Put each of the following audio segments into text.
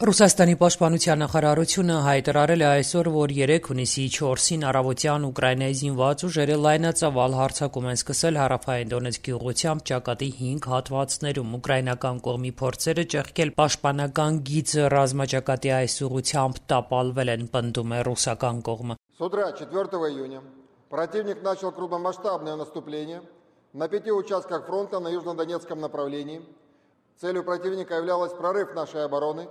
Ռուսաստանի պաշտպանության նախարարությունը հայտարարել է այսօր, որ 3 հունիսի 4-ին առավոտյան Ուկրաինայի զինված ուժերը լայնածավալ հարձակում են սկսել հարավային Դոնեցկի ուղղությամբ ճակատի 5 հատվածներում։ Ուկրաինական կողմի փորձերը ճեղքել պաշտպանական գիծը ռազմաճակատի այս ուղղությամբ տապալվել են, պնդում է ռուսական կողմը։ С утра 4 июня противник начал крупномасштабное наступление на 5 участках фронта на южнодонецком направлении. Целью противника являлась прорыв нашей обороны.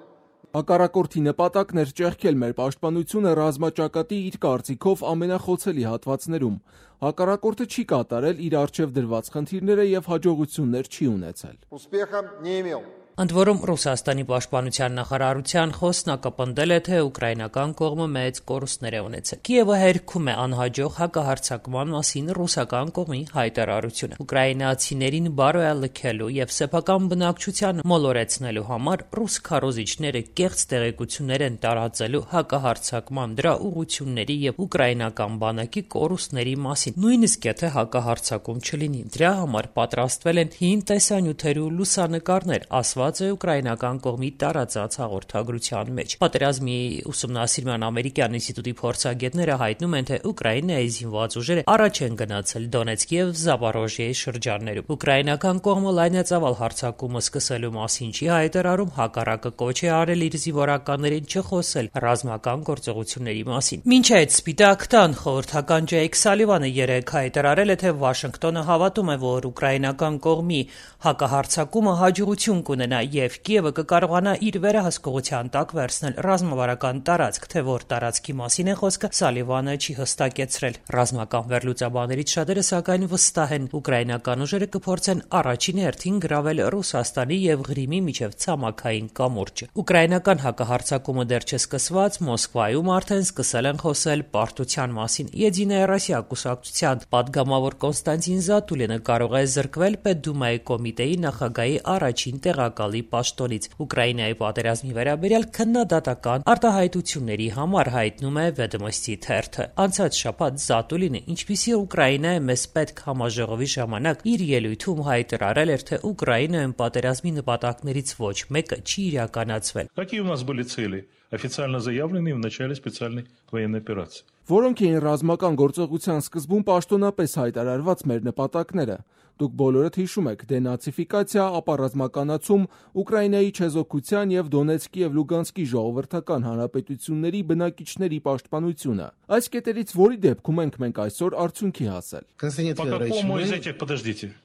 Հակառակորդի նպատակն էր ճեղքել մեր պաշտպանությունը ռազմաճակատի իր կարծիքով ամենախոցելի հատվածներում։ Հակառակորդը չի կատարել իր առջև դրված խնդիրները եւ հաջողություններ չի ունեցել։ Успеха не имел. Ընդ որում Ռուսաստանի պաշտպանության նախարարության խոսնակը պնդել է, թե ուկրաինական կողմը մեծ կորուստներ է ունեցել։ Կիևը հերքում է անհաջող հակահարձակման մասին ռուսական կողմի հայտարարությունը։ Ուկրաինացիներին բարոյալքելու եւ սեփական բնակչության մոլորեցնելու համար ռուս քարոզիչները կեղծ տեղեկություններ են տարածելու հակահարձակման դրա ուղղությունների եւ ուկրաինական բանակի կորուստների մասին։ Նույնիսկ եթե հակահարձակում չլինի, դրա համար պատրաստվել են հին տեսանյութեր ու լուսանկարներ, ասված է ուկրաինական կողմի տարածած հաղորդագրության մեջ։ Պատերազմի ուսումնասիրման ամերիկյան ինստիտուտի փորձագետները հայտնում են, թե Ուկրաինայի զինված ուժերը առաջ են գնացել Դոնեցկի եւ Զապորոժիեի շրջաններում։ Ուկրաինական կողմը լայնածավալ հարձակումը սկսելու մասին չի հայտարարում, հակառակը կոչ է արել իր զինվորականներին չխոսել ռազմական գործողությունների մասին։ Մինչ այդ Սպիտակ տան խորհրդական Ջեյք Սալիվանը երեկ հայտարարել է, թե Վաշինգտոնը հավատում է, որ ուկրաինական կողմի հակահարձակումը հաջողություն կունենա եւ Կիևը կկարողանա իր վերահսկողության տակ վերցնել ռազմավարական տարածք, թե որ տարածքի մասին է խոսքը, Սալիվանը չի հստակեցրել։ Ռազմական վերլուծաբաններից շատերը սակայն վստահ են, ուկրաինական ուժերը կփորձեն առաջին հերթին գրավել Ռուսաստանի եւ Ղրիմի միջև ցամաքային կամուրջը։ Ուկրաինական հակահարձակումը դեռ չսկսված, Մոսկվայում արդեն սկսել են խոսել պարտության մասին։ Եդինայա Ռոսիա կուսակցության падգամավոր Կոնստանտին Զատուլինը կարող է զրկվել Պետդումայի կոմիտեի նախագահի առաջին տեղակալի պաշտոնից։ Ուկրաինայի պատերազմի վերաբերյալ քննադատական արտահայտությունների համար հայտնում է Վեդոմոստի թերթը։ Անցած շաբաթ Զատուլինը, ինչպիսի Ուկրաինա է մեզ պետք համաժողովի ժամանակ, իր ելույթում հայտարարել էր, թե Ուկրաինայում պատերազմի նպատակներից ոչ մեկը չի իրականացվել։ Какие у нас были цели, официально заявленные в начале специальной военной операции? Որոնք էին ռազմական գործողության սկզբում պաշտոնապես հայտարարված մեր նպատակները։ Դուք բոլորդ հիշում եք դենացիֆիկացիա, ապա ռազմականացում, Ուկրաինայի չեզոքության եւ Դոնեցկի եւ Լուգանսկի ժողովրդական հանրապետությունների բնակիչների պաշտպանությունը։ Այս կետերից որի դեպքում ենք մենք այսօր արդյունքի հասել։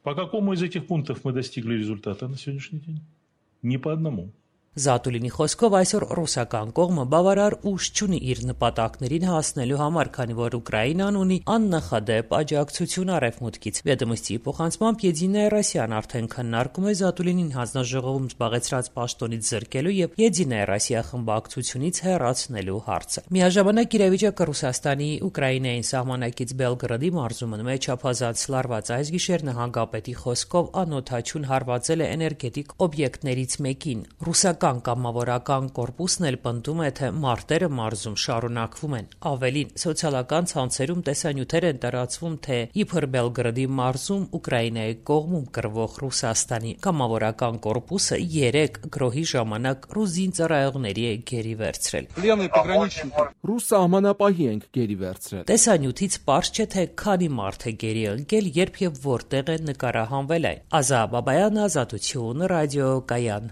По какому из этих пунктов мы достигли результата на сегодняшний день? Ни по одному. Զատուլինի խոսքով այսօր ռուսական կողմը բավարար ուժ չունի իր նպատակներին հասնելու համար, քանի որ Ուկրաինան ունի աննախադեպ աջակցություն արևմուտքից։ Վեդոմոստի փոխանցմամբ Եդինայա Ռոսիան արդեն քննարկում է Զատուլինին հանձնաժողովում զբաղեցրած պաշտոնից զրկելու եւ Եդինայա Ռոսիա խմբակցությունից հեռացնելու հարցը։ Միաժամանակ իրավիճակը Ռուսաստանի Ուկրաինային սահմանակից Բելգրադի մարզում մեջ չափազանց լարված այս գիշեր նահանգապետի խոսքով անօթաչուն հարվածել է էներգետիկ օբյեկտներից մեկին։ Ռուսական կամավորական կորպուսն էլ պնդում է, թե մարտերը մարզում շարունակվում են։ Ավելին, սոցիալական ցանցերում տեսանյութեր են տարածվում, թե իբր Բելգրադի մարզում Ուկրաինայի կողմում կռվող Ռուսաստանի կամավորական կորպուսը 3 գրոհի ժամանակ ռուս զինծառայողների է գերի վերցրել։ Ռուս սահմանապահի ենք գերի վերցրել։ Տեսանյութից պարզ չէ, թե քանի մարդ է գերի ընկել, երբ եւ որտեղ է նկարահանվել այն։ Ազա Բաբայան, Ազատություն, ռադիո Կայան։